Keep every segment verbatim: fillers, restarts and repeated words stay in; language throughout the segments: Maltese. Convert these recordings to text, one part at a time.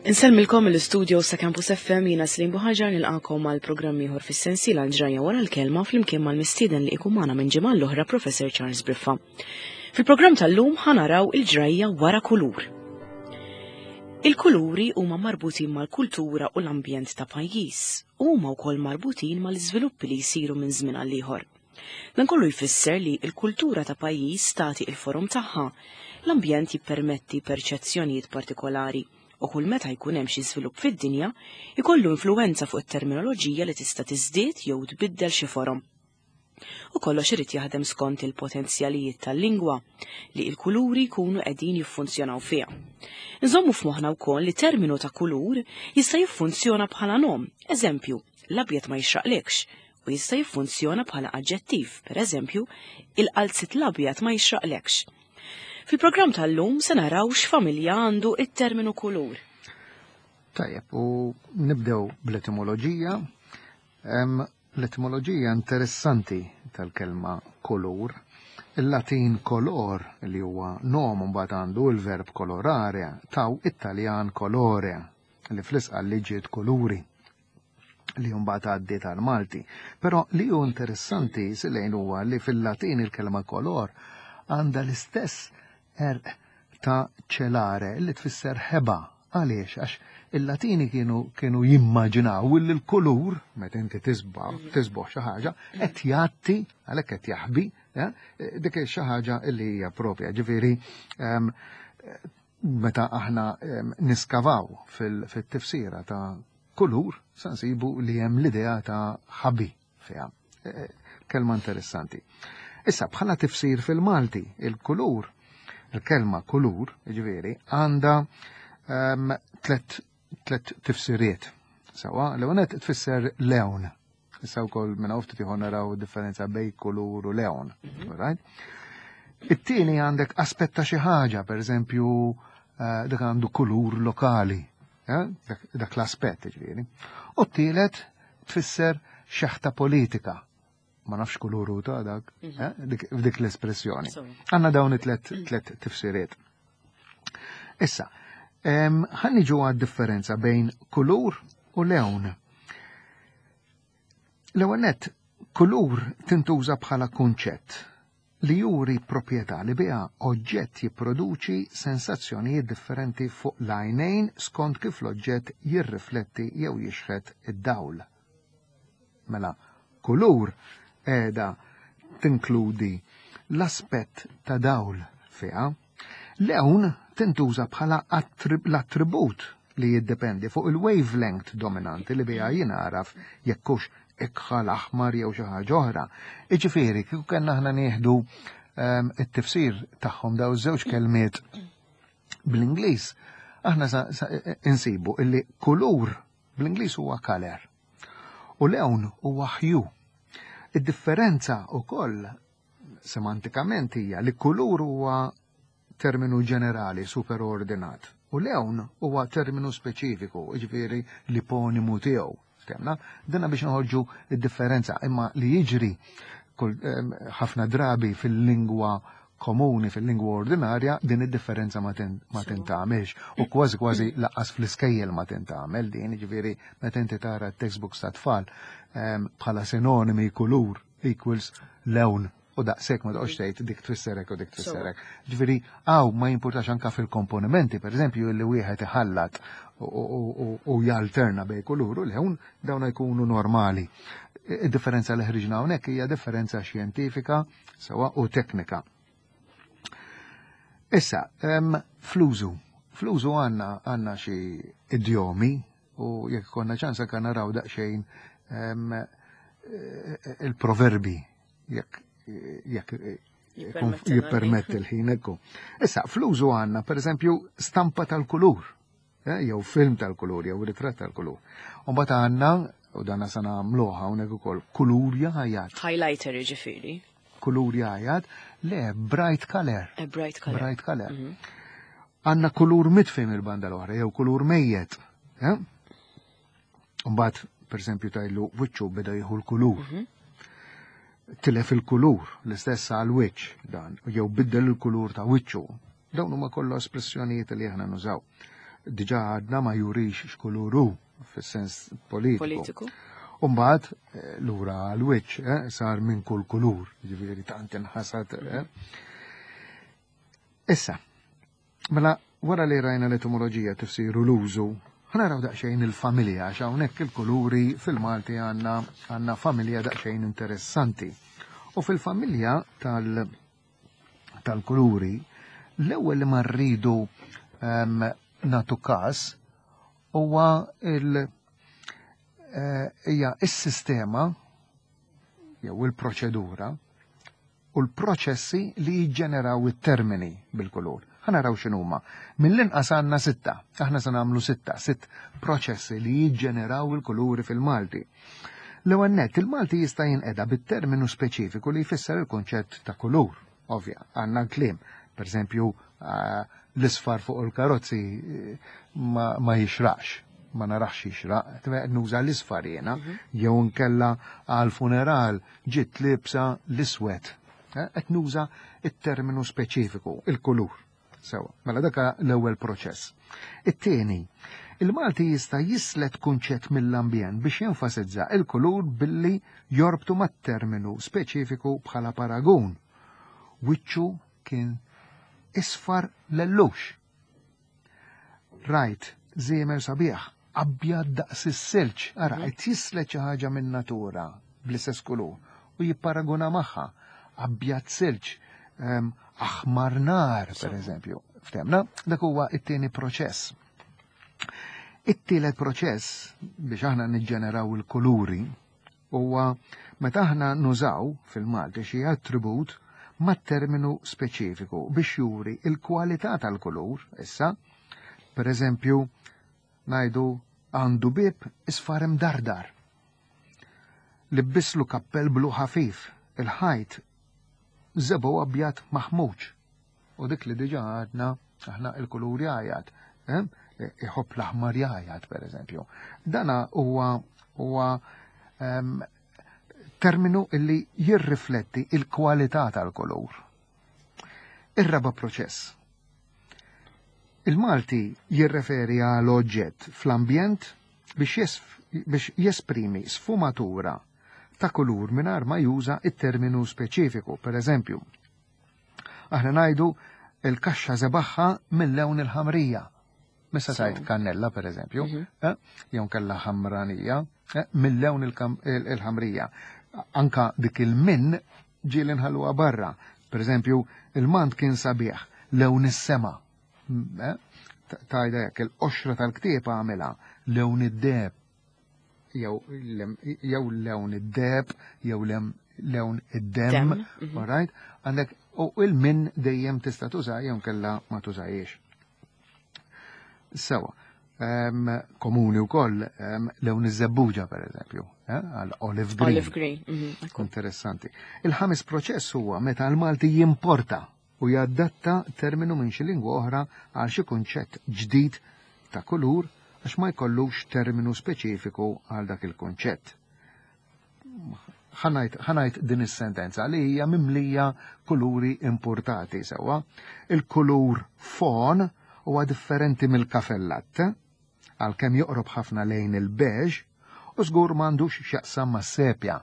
Insellmilkom mill-istudio ta' Campus F M, jiena Slim Buħaġar, nilqakom għal programm ieħor fis-sensiela Ġrajja wara l-kelma flimkien mal-mistieden li ikun magħna minn ġimgħa l-oħra, Professor Charles Briffa. Fil-programm tal-lum ħa naraw il-ġrajja wara kulur. Il-kuluri huma marbutin mal-kultura u l-ambjent ta' pajjiż u huma wkoll marbutin mal-iżviluppi li jsiru minn żmien għal ieħor. Dan kollu jfisser li l-kultura ta' pajjiż tagħti il-forom tagħha, l-ambjent jippermetti perċezzjonijiet partikolari u kull meta jkun hemm xi żvilupp fid-dinja jkollu influwenza fuq it-terminoloġija li tista' tiżdied jew tbiddel xi forom. U kollox irid jaħdem skont il-potenzjalijiet tal-lingwa li il-kuluri jkunu qegħdin jiffunzjonaw fiha. Nżommu f'moħħna wkoll li terminu ta' kulur jista' jiffunzjona bħala nom, eżempju, l-abjad ma jixraqlekx, u jista' jiffunzjona bħala aġġettiv, per eżempju, il-qalzit l-abjad ma jixraqlekx. Fil-programm tal-lum se naraw x'familja għandu it-terminu kulur. Tajjeb, u nibdew bl-etimoloġija. L-etimoloġija interessanti tal-kelma kulur. Il-Latin color, li huwa nom, mbagħad għandu il-verb colorare, taw Italjan colore, li fl-Isqalli ġiet kuluri, li mbagħad għaddiet tal-Malti. Però li hu interessanti silejn huwa li fil-Latin il-kelma color għandha l-istess għerq ta' celare, li tfisser ħeba. Għaliex? Għax il-Latini kienu kienu jimmaġinaw li l-kulur, meta inti tisbaħ, tisboħ xi ħaġa, qed jgħatti, għalhekk qed jaħbi, eh, dik xi ħaġa li hija propja. Ġifieri, em, meta aħna em, niskavaw fil-tifsira ta' kulur, sa nsibu li hemm l-idea ta' ħabi fiha. Eh, Kelma interessanti. Issa, bħala tifsir fil-Malti, il-kulur, il-kelma kulur, ġifieri, għandha um, tlet, tlet tifsiriet. Sawa, l-ewwel tfisser lewn. Issa wkoll minn hawn ftit ieħor naraw differenza bejn kulur u lewn. Right? It-tieni għandek aspett ta' xi ħaġa, per eżempju, eh, dak għandu kulur lokali, eh? dak, dak l-aspett ġifieri. U t-tielet tfisser xeħta politika. Ma nafx kuluru ta' dak, eh? dik, f'dik l-espressjoni. Għandna dawn it-tlet tlet tifsiriet. Issa, em, ħa niġu għad-differenza bejn kulur u lewn. L-ewwel nett, kulur tintuża bħala kunċett li juri proprjetà li biha oġġett jipproduċi sensazzjonijiet differenti fuq l-għajnejn skont kif l-oġġett jirrifletti jew jixħet id-dawl. Mela, kulur qiegħda tinkludi l-aspett ta' dawl fiha. Lewn tintuża bħala l-attribut li jiddependi fuq il-wavelength dominanti li biha jingħaraf jekk hux ikħal, aħmar jew xi ħaġa oħra. Iġifieri, kieku kellna aħna nieħdu um, it-tifsir tagħhom daw żewġ kelmiet bl-Ingliż, aħna sa, sa, insibu illi kulur bl-Ingliż huwa color u lewn huwa hue. Id-differenza ukoll semantikament hija li kulur huwa terminu ġenerali superordinat u lewn huwa terminu speċifiku, ġifieri l-iponimu tiegħu. Ftemna? Dina biex noħorġu id-differenza, imma li jiġri ħafna drabi fil-lingwa komuni, fil-lingwa ordinarja, din id-differenza ma tintgħamilx. U kważi kważi lanqas fl-iskejjel ma tintgħamel din, ġifieri meta inti tara textbooks ta' tfal bħala sinonimi kulur equals lewn u daqshekk, ma toqgħodx tgħid dik tfisserek u dik tfisserek. Ġifieri hawn ma jimpurtax anka fil-komponimenti, pereżempju, li wieħed iħallat u jalterna bej kulur u lewn, dawn jkunu normali. Id-differenza li ħriġna hawnhekk hija differenza xjentifika sewa u teknika. Issa, fl-użu. Fl-użu għandna għandna xi idjomi u jekk konna ċansa kan naraw daqsxejn il-proverbi, jekk jekk jippermetti l-ħin ekku. Issa, fl-użu għandna, per eżempju, stampa tal-kulur, eh, jew film tal-kulur, jew ritratt tal-kulur. U mbagħad għandna, u danna sa nagħmluha hawnhekk ukoll, kulur jgħajjat. Highlighter ġifieri. Kulur jgħajjat, le, bright color. A bright color. Bright color. Mhm. Għandna kulur mitfi mill-banda l-oħra, jew kulur mejjet. Eh? Mbagħad, per eżempju, tajlu wiċċu beda jieħu l-kulur. Mhm. Tilef il-kulur, l-istess għal wiċċ dan, jew biddel il-kulur ta' wiċċu. Dawn huma kollha espressjonijiet li aħna nużaw. Diġà għadna ma jurix x'kulur hu fis-sens politiku. Politiku. Umbagħad eh, lura l-wiċċ eh, sar minn kull kulur, ġifieri tant inħasad. Eh. Issa, mela wara li rajna l-etimoloġija, tifsiru, l-użu, ħa naraw daqsxejn il-familja, għax hawnhekk il-kuluri fil-Malti għandna għandna familja daqsxejn interessanti. U fil-familja tal- tal-kuluri, l-ewwel li ma rridu um, nagħtu każ huwa il- eh, hija is-sistema jew il-proċedura u l-proċessi li jiġġeneraw it-termini bil-kulur. Ħa naraw x'inhuma. Mill-inqas għandna sitta, aħna se nagħmlu sitta, sitt proċessi li jiġġeneraw il-kuluri fil-Malti. L-ewwel nett, il-Malti jista' jinqeda bit-terminu speċifiku li jfisser il-konċett ta' kulur. Ovvja, għandna kliem. Per eżempju, eh, l-isfar fuq il-karozzi eh, ma, ma jixraqx, ma narax jixraq, nuża l-isfar jena, jew nkella għal funeral ġiet libsa l-iswed. Eh, Qed nuża it-terminu speċifiku, il-kulur. Sewa, mela daka l-ewwel proċess. It-tieni, il-Malti jista' jislet kunċett mill-ambjent biex jenfasizza il-kulur billi jorbtu mat-terminu speċifiku bħala paragun. Wiċċu kien isfar lellux. Rajt, żiemel sabiħ, abjad daqs is-silġ, ara, qed jislet xi ħaġa minn natura bl-istess kulur u jipparaguna magħha. Abjad silġ, em, aħmar nar, per eżempju. Ftemna, dak huwa it-tieni proċess. It-tielet proċess biex aħna niġġeneraw il-kuluri huwa meta aħna nużaw fil-Malti xi attribut ma' terminu speċifiku biex juri il-kwalità tal-kulur, issa, per eżempju, ngħidu għandu bib isfar imdardar. Libbislu kappell blu ħafif, il-ħajt żebgħu abjad maħmuġ. U dik li diġa għadna aħna il-kulur jgħajjat. Eh? Iħobb l-aħmar jgħajjat, per eżempju. Dana huwa huwa em, terminu illi jirrifletti il-kwalità tal-kulur. Ir-raba proċess. Il-Malti jirreferi għal oġġett fl-ambjent biex, jesf, biex jesprimi sfumatura ta' kulur mingħajr ma juża it-terminu speċifiku. Per eżempju, aħna ngħidu il-kaxxa żebagħha mill-lewn il-ħamrija. Missa tajt kannella, per eżempju, eh, jew kella ħamranija, eh, mill-lewn il-ħamrija. Anka dik il-min ġieli nħalluha barra. Per eżempju, il-mant kien sabiħ, lewn is-sema. Eh, tajda jekk il-qoxra tal-ktieb għamilha lewn id-deheb. Jew lewn id-deheb, jew lewn id-dem, mhm. alright? Għandek, u il-min dejjem tista' tuża jew kella ma tużajiex. Sewa, komuni wkoll lewn iż-żebbuġa per eżempju, eh, għal olive green. Olive green. Mhm, Interessanti. Il-ħames proċess huwa meta l-Malti jimporta u jadatta terminu minn xi lingwa oħra għal xi kunċett ġdid ta' kulur għax ma jkollux terminu speċifiku għal dak il-kunċett. Ħa ngħid din is-sentenza li hija mimlija kuluri importati sewwa. Il-kulur fawn huwa differenti mill-kafè latte, għalkemm joqrob ħafna lejn il-beige u żgur m'għandux x'jaqsam mas-sepja.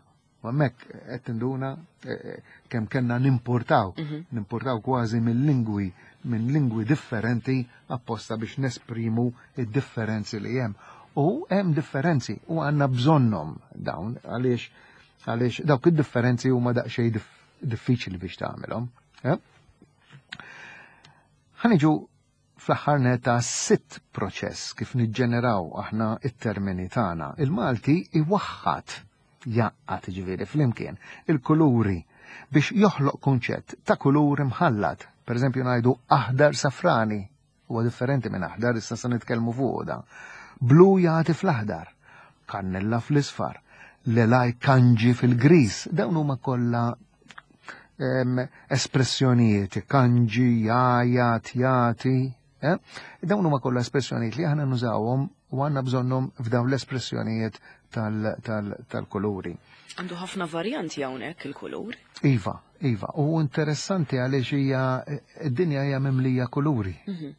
U hemmhekk qed tinduna eh, eh, kemm kellna nimportaw, mhm. nimportaw kważi mill-lingwi minn lingwi differenti apposta biex nesprimu id-differenzi li hemm. U hemm differenzi u għandna bżonnhom dawn għaliex għaliex dawk id-differenzi huma daqsxejn diffiċli biex tagħmelhom. Eh? Ħa niġu fl-aħħar netta sitt proċess kif niġġeneraw aħna it-termini tagħna. Il-Malti iwaħħat jgħaqqad ġifieri flimkien il-kuluri biex joħloq kunċett ta' kulur imħallat. Per eżempju ngħidu aħdar safrani, huwa differenti minn aħdar, issa se nitkellmu fuq da. Blu jagħti fl-aħdar, kannella fl-isfar, lelaj kanġi fil-gris, dawn huma kollha espressjonijiet, kanġi, jajat, jati, eh? Dawn huma kollha espressjonijiet li aħna nużawhom u għandna bżonnhom f'dawn l-espressjonijiet tal-kuluri. Għandu ħafna varjanti hawnhekk il-kulur. Iva, iva, u interessanti għaliex hija id-dinja hija mimlija kuluri. Mhm.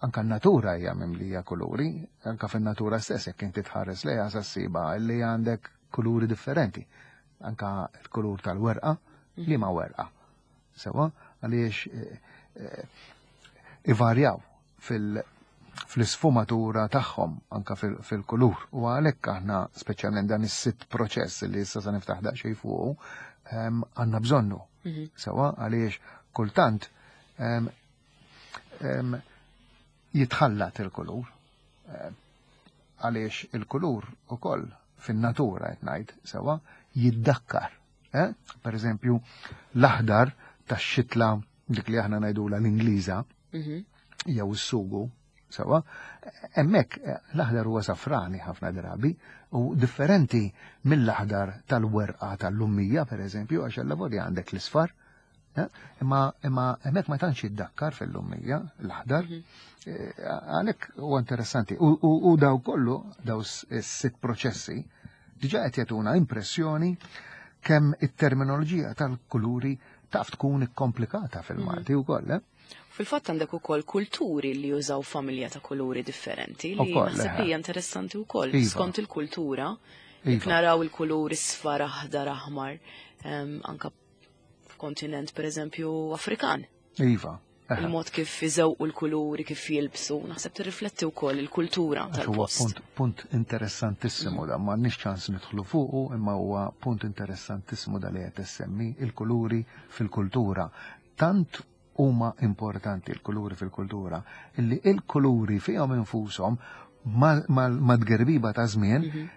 Anka n-natura hija mimlija kuluri, anka fin-natura stess jekk inti tħares lejha sa ssibha li għandek kuluri differenti. Anka l-kulur tal-werqa, li ma werqa. Sewa, għaliex eh, eh, ivarjaw fil- fl-isfumatura tagħhom anka fil-kulur. U għalhekk aħna speċjalment dan is-sitt proċess li issa se niftaħ daqsxejn fuqu għandna bżonnu. Mhm. Sewa, għaliex kultant jitħallat il-kulur. Għaliex il-kulur ukoll fin-natura qed ngħid sewa jiddakkar. Eh? Per eżempju, l-aħdar tax-xitla dik li aħna ngħidula l-Ingliża mhm. jew is-sugu, sewa, hemmhekk l-aħdar huwa safrani ħafna drabi u differenti mill-aħdar tal-werqa tal-lummija, per eżempju, għax allavolja għandek l-isfar. Imma imma hemmhekk ma tantx jiddakkar fil-lummija l-aħdar. Mhm. Għalhekk huwa interessanti. U daw kollu, daw s-sitt proċessi, diġà qed jagħtuna impressjoni kemm it-terminoloġija tal-kuluri taf tkun ikkomplikata fil-Malti mhm. wkoll. Eh? Fil-fatt għandek ukoll kulturi li jużaw familja ta' kuluri differenti li naħseb hija interessanti wkoll iva. Skont il-kultura. Jekk iva. naraw il-kuluri sfar, aħdar, aħmar, anka f'kontinent pereżempju Afrikan. Iva. Il-mod kif iżewqu l-kuluri, kif jilbsu, naħseb tirrifletti wkoll il-kultura tal-post. Punt, punt interessantissimu da, m'għandniex ċans nidħlu fuqu, imma huwa punt interessantissimu da li qed issemmi il-kuluri fil-kultura. Tant huma importanti l-kuluri fil-kultura, illi il-kuluri fihom infushom mad-gerbiba ta' żmien mhm.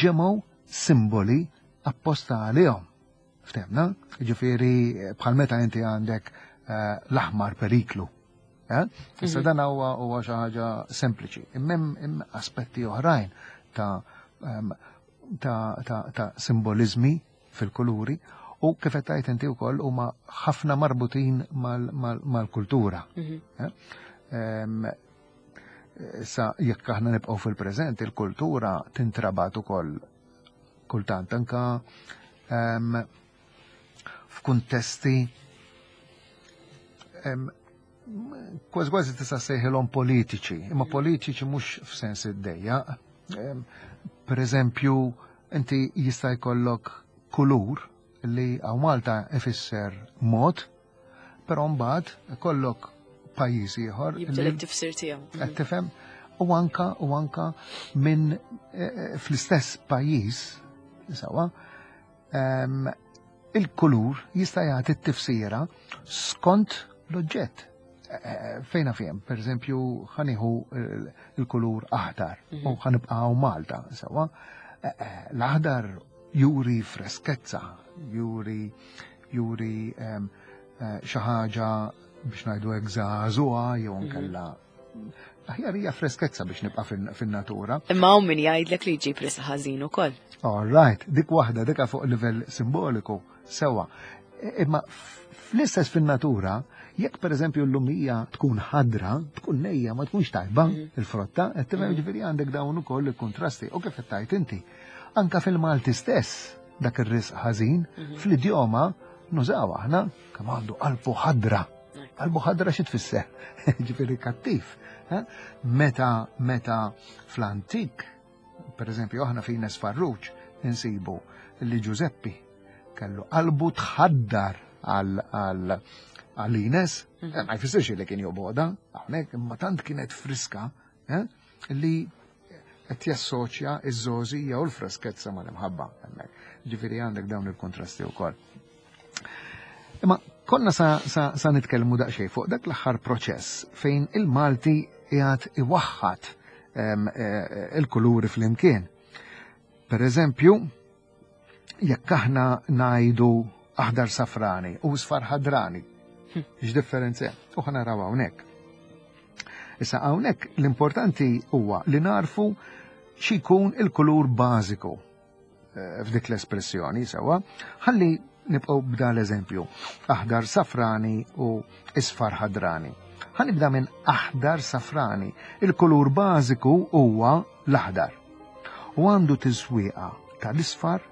ġemgħu simboli apposta għalihom. Ftemna? Ġifieri bħal meta inti għandek l-aħmar periklu. Issa mhm. dan huwa huwa xi ħaġa sempliċi. Imma hemm aspetti oħrajn ta' ta' ta' ta' simbolizmi fil-kuluri u kif qed tgħid inti wkoll huma ħafna marbutin mal-kultura. Mhm. Issa jekk aħna nibqgħu fil-preżent, il-kultura tintrabat ukoll kultant anka f'kuntesti kważi kważi tista' sejħilhom politiċi, imma politiċi mhux f'sens id-dejja. Per eżempju, inti jista' jkollok kulur li hawn Malta ifisser mod, però mbagħad ikollok pajjiż ieħor. Jibdel it-tifsir tiegħu. Qed tifhem? U anka u anka minn eh, fl-istess pajjiż sewwa il-kulur jista' jagħti t-tifsira skont l-oġġett. Fejna fjem, per eżempju, ħaniħu il-kulur aħdar u ħanibqgħu Malta, sewwa. L-aħdar juri freskezza, juri juri xi ħaġa biex ngħidu hekk żagħżugħa jew nkella aħjar hija freskezza biex nibqa' fin-natura. Imma hawn min jgħidlek li jġib risq ħażin ukoll. All right, dik waħda dika fuq livell simboliku sewwa. Imma fl-istess fin-natura, jekk pereżempju l-lumija tkun ħadra, tkun nejja ma tkunx tajba mhm. il-frotta, qed tifhem mhm. ġifieri għandek dawn ukoll il-kontrasti u kif qed tgħid inti. Anka fil-Malti stess dak ir-risq ħażin, mhm. fl-idjoma nużaw aħna kemm għandu qalbu ħadra. Qalbu ħadra xi tfisser? Ġifieri kattiv. Meta meta fl-antik, per eżempju aħna fi Ines Farruġ insibu li Giuseppi kellu qalbu tħaddar għal għal Ines, mhm. ma jfissirx li kien joboda, hawnhekk imma tant kienet friska eh, li qed jassoċja iż-żgħożija u l-freskezza mal-imħabba hemmhekk. Ġifieri għandek dawn il-kontrasti wkoll. Imma konna sa, sa, sa nitkellmu daqsxejn fuq dak l-aħħar proċess fejn il-Malti qiegħed iwaħħad eh, il-kuluri flimkien. Per eżempju, jekk aħna ngħidu aħdar safrani u sfar ħadrani, x'differenza hemm? U ħa naraw hawnhekk. Issa hawnhekk l-importanti huwa li narfu x'ikun il-kulur bażiku eh, f'dik l-espressjoni sewwa, ħalli nibqgħu b'dan l-eżempju, aħdar safrani u isfar ħadrani. Ħanibda minn aħdar safrani. Il-kulur bażiku huwa l-aħdar. U għandu tiżwieqa tal-isfar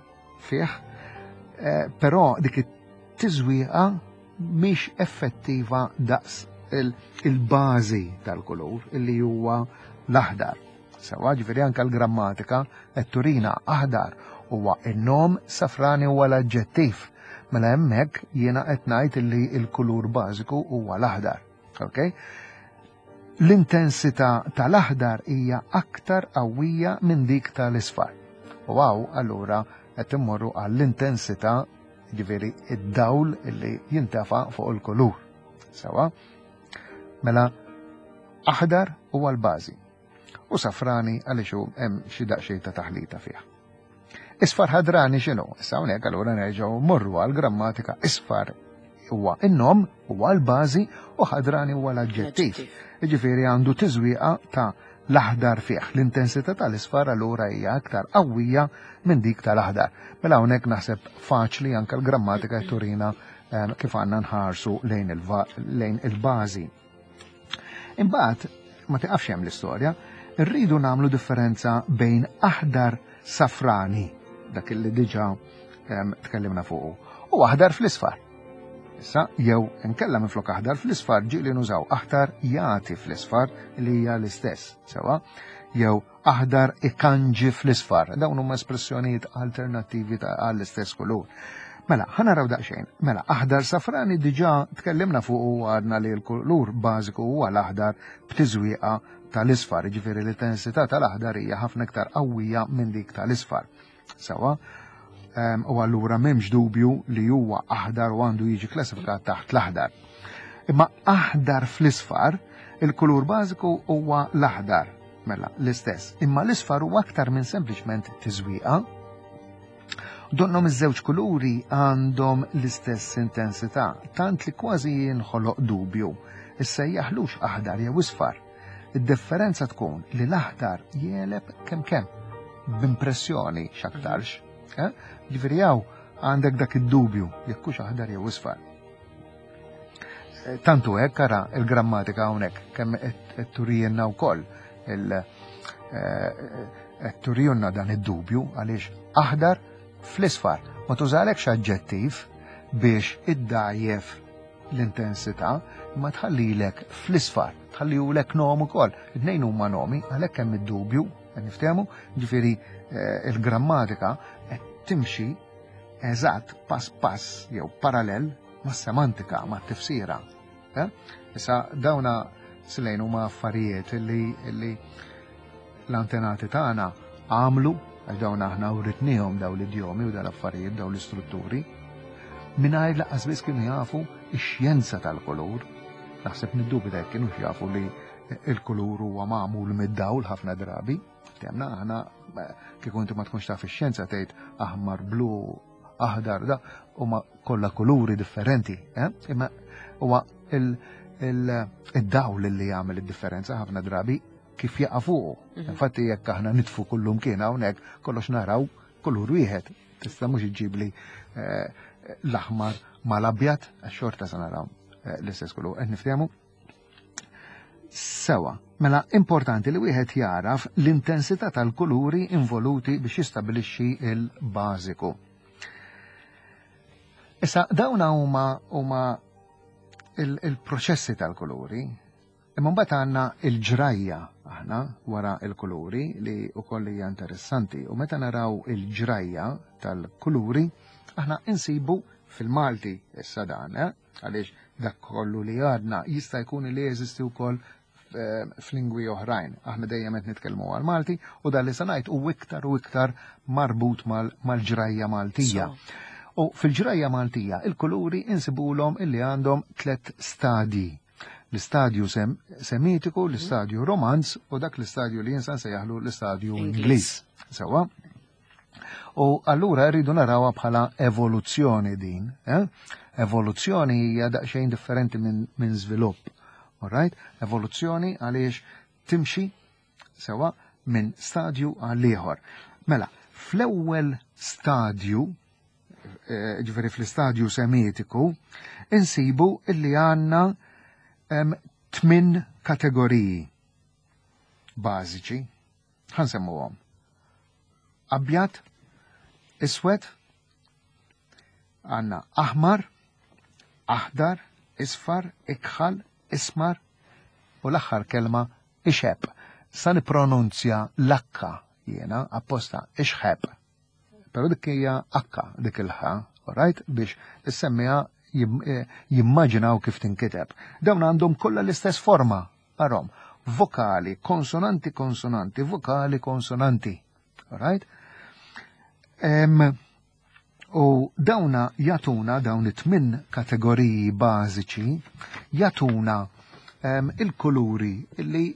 fih, eh, però dik it-tiżwieqa mhix effettiva daqs il-bażi tal-kulur illi huwa l-aħdar. Sewa, ġifieri anke l-grammatika qed turina aħdar huwa in-nom, safrani huwa l-aġġettiv. Mela hemmhekk jiena qed ngħid illi l-kulur bażiku huwa l-aħdar. Okay? L-intensità tal-aħdar hija aktar qawwija minn dik tal-isfar. U hawn allura qed immorru għall-intensità, ġifieri id-dawl illi jintefa' fuq il-kulur. Sewa? Mela aħdar huwa l-bażi. U safrani għaliex hemm xi daqsxejn ta' taħlita fih. Isfar ħadrani x'inhu? Issa hawnhekk allura nerġgħu mmorru għall-grammatika. Isfar huwa in-nom, huwa l-bażi, u ħadrani huwa l-aġġettiv. Jiġifieri għandu tiżwieqa ta' l-aħdar fih. L-intensità tal-isfar allura hija aktar qawwija minn dik tal-aħdar. Mela hawnhekk naħseb faċli anke l-grammatika turina kif għandna nħarsu lejn il-bażi. Imbagħad ma tiqafx hemm l-istorja, irridu nagħmlu differenza bejn aħdar safrani, dak li diġà tkellimna fuqu, u aħdar fl-isfar. Issa, jew inkella minflok aħdar fl-isfar ġieli nużaw aħdar jagħti fl-isfar li hija l-istess, sewa, jew aħdar ikanġi fl-isfar. Dawn huma espressjonijiet alternattivi għall-istess kulur. Mela, ħa naraw daqsxejn. Mela, aħdar safrani diġà tkellimna fuq u għadna li l-kulur bażiku huwa l-aħdar b'tiżwieqa tal-isfar, jiġifieri l-intensità tal-aħdar hija ħafna iktar qawwija minn dik tal-isfar. Sewa, u allura m'hemmx dubju li huwa aħdar u għandu jiġi klassifikat taħt l-aħdar. Imma aħdar fl-isfar, il-kulur bażiku huwa l-aħdar, mela l-istess. Imma l-isfar huwa aktar minn sempliċement tiżwieqa. Donnom iż-żewġ kuluri għandhom l-istess intensità, tant li kważi jinħoloq dubju. Issa jaħlux aħdar jew isfar. Id-differenza tkun li l-aħdar jeleb kemm kemm, b'impressjoni x'aktarx. Ġifieri hawn għandek dak id-dubju jekk hux aħdar jew isfar. Tantu hekk ara il-grammatika hawnhekk kemm qed turijilna wkoll il qed turijilna dan id-dubju għaliex aħdar fl-isfar ma tużalekx aġġettiv biex iddajjef l-intensità, imma tħallilek fl-isfar, tħallilek nom ukoll. It-tnejn huma nomi, għalhekk hemm id-dubju, qed niftehmu, ġifieri il-grammatika qed timxi eżatt pass pass jew parallel mas-semantika, mat-tifsira. Issa dawna slejn huma affarijiet li l-antenati tagħna għamlu, għax dawn aħna writnihom daw l-idjomi u dal-affarijiet, daw l-istrutturi, mingħajr lanqas biss kienu jafu x-xjenza tal-kulur. Naħseb niddubita jekk kienu jafu li il-kulur huwa magħmul mid-dawl ħafna drabi. Temna aħna kieku inti ma tkunx taf ix-xjenza tgħid aħmar, blu, aħdar, da huma kollha kuluri differenti, eh? Imma huwa il-dawl li jagħmel id-differenza ħafna drabi kif jaqa' fuqu. Infatti jekk aħna nitfu kullum kien hawnhekk kollox naraw kulur wieħed. Tista' mhux iġġibli l-aħmar mal-abjad, għax xorta se naraw l-istess kulur. Qed niftehmu? Sewa, mela importanti li wieħed jaraf l-intensità tal-kuluri involuti biex jistabilixxi il-bażiku. Issa dawn huma huma il-proċessi tal-kuluri. Imma mbagħad għandna il-ġrajja aħna wara il-kuluri li wkoll hija interessanti. U meta naraw il-ġrajja tal-kuluri, aħna insibu fil-Malti issa dan, eh? Għaliex dak kollu li għadna jista' jkun li jeżisti wkoll f'lingwi oħrajn. Aħna dejjem qed nitkellmu għal-Malti u dan li se ngħid hu iktar u iktar marbut mal-ġrajja Maltija. U fil-ġrajja Maltija il-kuluri insibulhom illi għandhom tliet stadji. L-istadju semitiku, l-istadju romanz u dak l-istadju li jinsan sejjaħlu l-istadju Ingliż. Sewa? U allura rridu narawha bħala evoluzzjoni din. Eh? Evoluzzjoni hija daqsxejn differenti minn min żvilupp. Alright? Evoluzzjoni għaliex timxi sewa minn stadju għal ieħor. Mela, fl-ewwel stadju, ġifieri fl-istadju semitiku, insibu illi għandna tmien kategoriji bażiċi. Ħansemmuhom. Abjad, iswed, għandna aħmar, aħdar, isfar, ikħal, Ismar, u l-aħħar kelma ixeb. Sa nipronunzja l-akka jiena apposta ixħeb. Però dik hija akka dik il-ħa, alright, biex is-semmiegħa jimmaġinaw kif tinkiteb. Dawn għandhom kollha l-istess forma, arom, vokali, konsonanti, konsonanti, vokali, konsonanti. Alright? Um, u dawna jatuna, dawn it-tmin kategoriji bażiċi, jatuna um, il-kuluri illi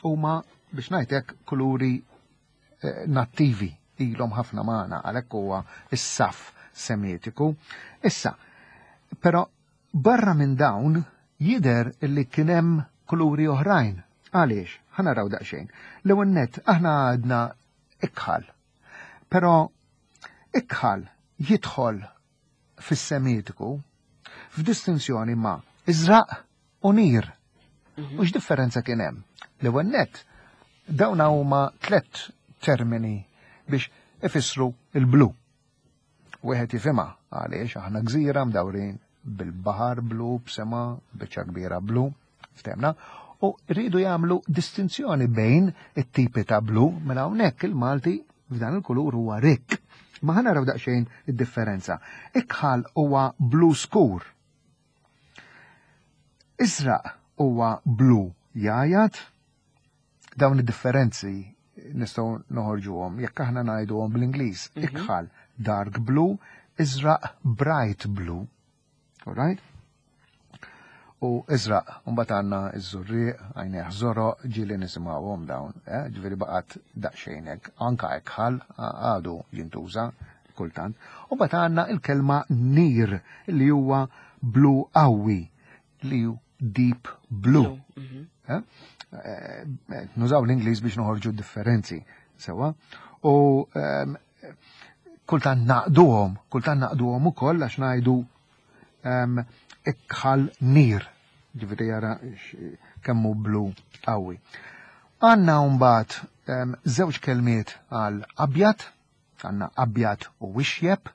huma biex ngħidlek kuluri eh, nattivi ilhom ħafna magħna għalhekk huwa is-saf semitiku. Issa, però barra minn dawn jidher illi kien hemm kuluri oħrajn. Għaliex? Ħa naraw daqsxejn. L-ewwel nett aħna għadna ikħal. Però ikħal jidħol fis-semitiku f'distinzjoni ma' iżraq u nir. U x'differenza kien hemm? L-ewwel nett dawn huma tliet termini biex ifissru il-blu. Wieħed jifhimha għaliex aħna gżira mdawrin bil-baħar blu, b'sema, biċċa kbira blu, ftehmna, u rridu jagħmlu distinzjoni bejn it-tipi ta' blu, mela hawnhekk il-Malti f'dan il-kulur huwa rikk. Ma ħa naraw daqsxejn id-differenza. Ikħal huwa blu skur. Iżraq huwa blu jajat. Dawn id-differenzi nistgħu noħorġuhom jekk aħna ngħiduhom bl-Ingliż. Ikħal dark blue, iżraq bright blue. Alright? U iżraq, mbagħad għandna iż-żurrieq, għajnejh żoroq, ġieli nisimgħuhom dawn, eh? Ġifieri baqgħet daqsxejn hekk, anka ikħal għadu jintuża kultant. U mbagħad għandna il-kelma nir li huwa blu qawwi, li hu deep blue. Eh? Eh, nużaw l-Ingliż biex noħorġu differenzi, sewa. U ehm, kultant naqduhom, kultant naqduhom ukoll għax ngħidu ehm, ikħal nir, ġifieri jara kemmu blu qawwi. Għandna mbagħad ehm, żewġ kelmiet għal abjad, għandna abjad u ixjeb.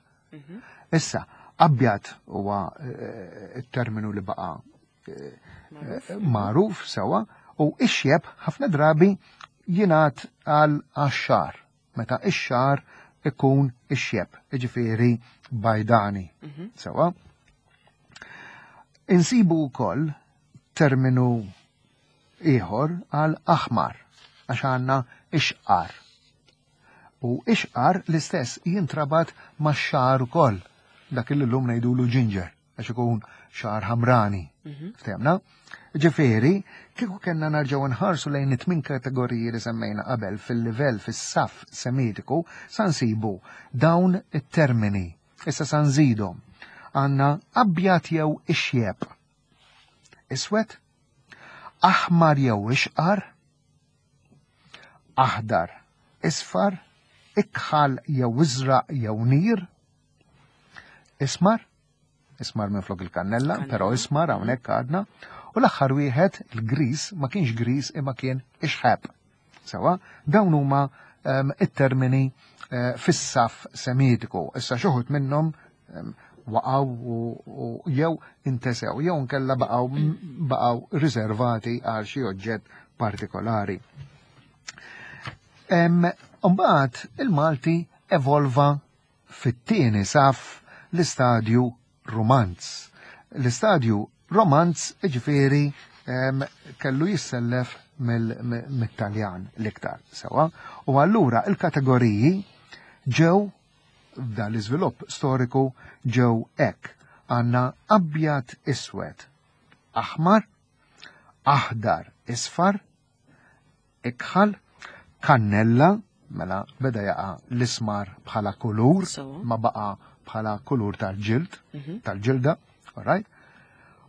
Issa, abjad huwa eh, it-terminu li baqa' eh, magħruf sewa, u ixjeb ħafna drabi jingħad għal għax-xagħar, meta ix-xagħar ikun ixjeb, jiġifieri bajdani. Sewa. Insibu wkoll terminu ieħor għal aħmar, għax għandna ixqar. U ixqar l-istess jintrabat ma' xagħar ukoll, dak li llum ngħidulu ginger, għax ikun xagħar ħamrani. Ftehmna? Ġifieri, kieku kellna narġgħu nħarsu lejn it-tmien kategoriji li semmejna qabel fil-livell fis-saf semitiku, sa nsibu dawn it-termini. Issa sa nżidhom. Għandna abjad jew ixjeb. Iswed, aħmar jew ixqar, aħdar, isfar, ikħal jew iżraq jew nir, ismar, ismar minn flok il-kannella, però ismar hawnhekk għadna, u l-aħħar wieħed il-gris ma kienx gris imma kien ixħeb. Sewa, dawn huma um, it-termini uh, fis-saf semitiku. Issa xi wħud minnhom um, waqgħu u jew intesew, jew nkella baqgħu baqgħu riservati għal xi oġġett partikolari. Mbagħad il-Malti evolva fit-tieni saf l-istadju Romanz. L-istadju Romanz ġifieri kellu jissellef mill-Taljan l-iktar sewa. U allura il-kategoriji ġew f'dan l-iżvilupp storiku ġew hekk. Għandna abjad iswed, aħmar, aħdar isfar, ikħal, kannella, mela beda jaqa l-ismar bħala kulur, ma baqa bħala kulur tal-ġild, tal-ġilda, alright?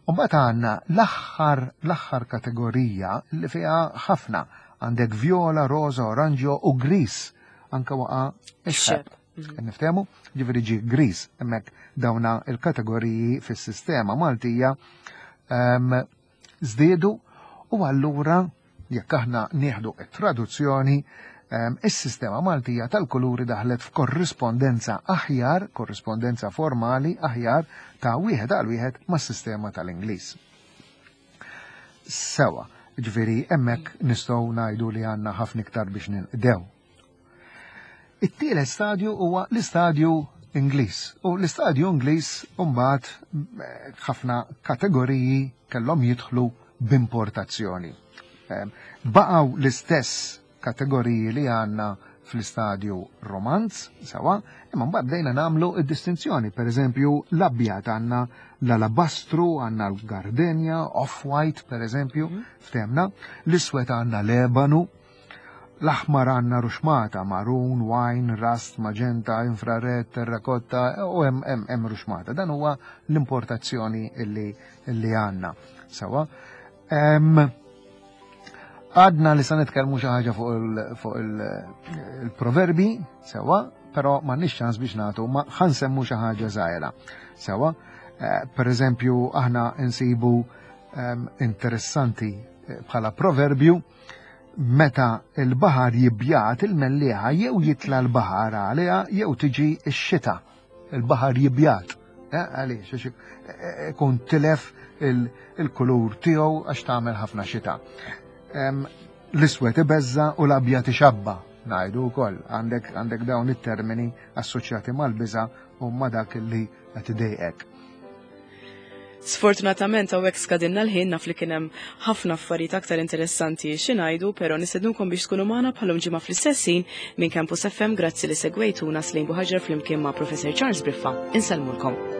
U mbagħad għandna l-aħħar l-aħħar kategorija li fiha ħafna għandek viola, rosa, oranġjo u gris, anka waqa ix-xeb. Niftehmu? Ġifieri ġi gris, hemmhekk dawna il-kategoriji fis-sistema Maltija żdiedu u allura jekk aħna nieħdu it-traduzzjoni, is-sistema Maltija tal-kuluri daħlet f'korrispondenza aħjar, korrispondenza formali aħjar ta' wieħed għal wieħed mas-sistema tal-Ingliż. Sewa, ġifieri hemmhekk nistgħu ngħidu li għandna ħafna iktar biex ninqdew. It-tielet stadju huwa l-istadju Ingliż. U l-istadju Ingliż mbagħad eh, ħafna kategoriji kellhom jidħlu b'importazzjoni. Ehm, baqgħu l-istess kategoriji li għandna fl-istadju Romanz, sewa, imma mbagħad bdejna nagħmlu id-distinzjoni. Per eżempju, l-abjad għandna l-alabastru, għandna l-gardenia, off-white, per eżempju, mhm. ftemna, l-iswed għandna l-ebanu, l-aħmar għandna ruxmata, maroon, wine, rust, magenta, infrared, terrakotta, u hemm hemm ruxmata. Dan huwa l-importazzjoni illi, illi għandna. Sewa. Għadna li sa nitkellmu xi ħaġa fuq il-proverbi, sewa, però m'għandniex ċans biex nagħtu, ma ħa nsemmu xi ħaġa żgħira. Sewa, eh, per eżempju, aħna nsibu interessanti eh, bħala proverbju meta il-baħar jibjat, il-mellieħa jew jitla l-baħar għaliha jew tiġi x-xita. Il-baħar jibjat. Eh, għaliex, ikun tilef il-kulur tiegħu għax tagħmel ħafna xita. L-iswed ibeżża' u l-abjad ixabba', ngħidu wkoll, għandek għandek dawn it-termini assoċjati mal-biża' u ma' dak li qed idejqek. Sfortunatament hawnhekk skadinna l-ħin. Naf li kien hemm ħafna affarijiet aktar interessanti xi ngħidu, però nistednukom biex tkunu magħna bħalhom ġimgħa fl-istess ħin minn Campus F M. Grazzi li segwejtuna. Slejn Buħaġar flimkien ma' Professor Charles Briffa. Insellmulkom.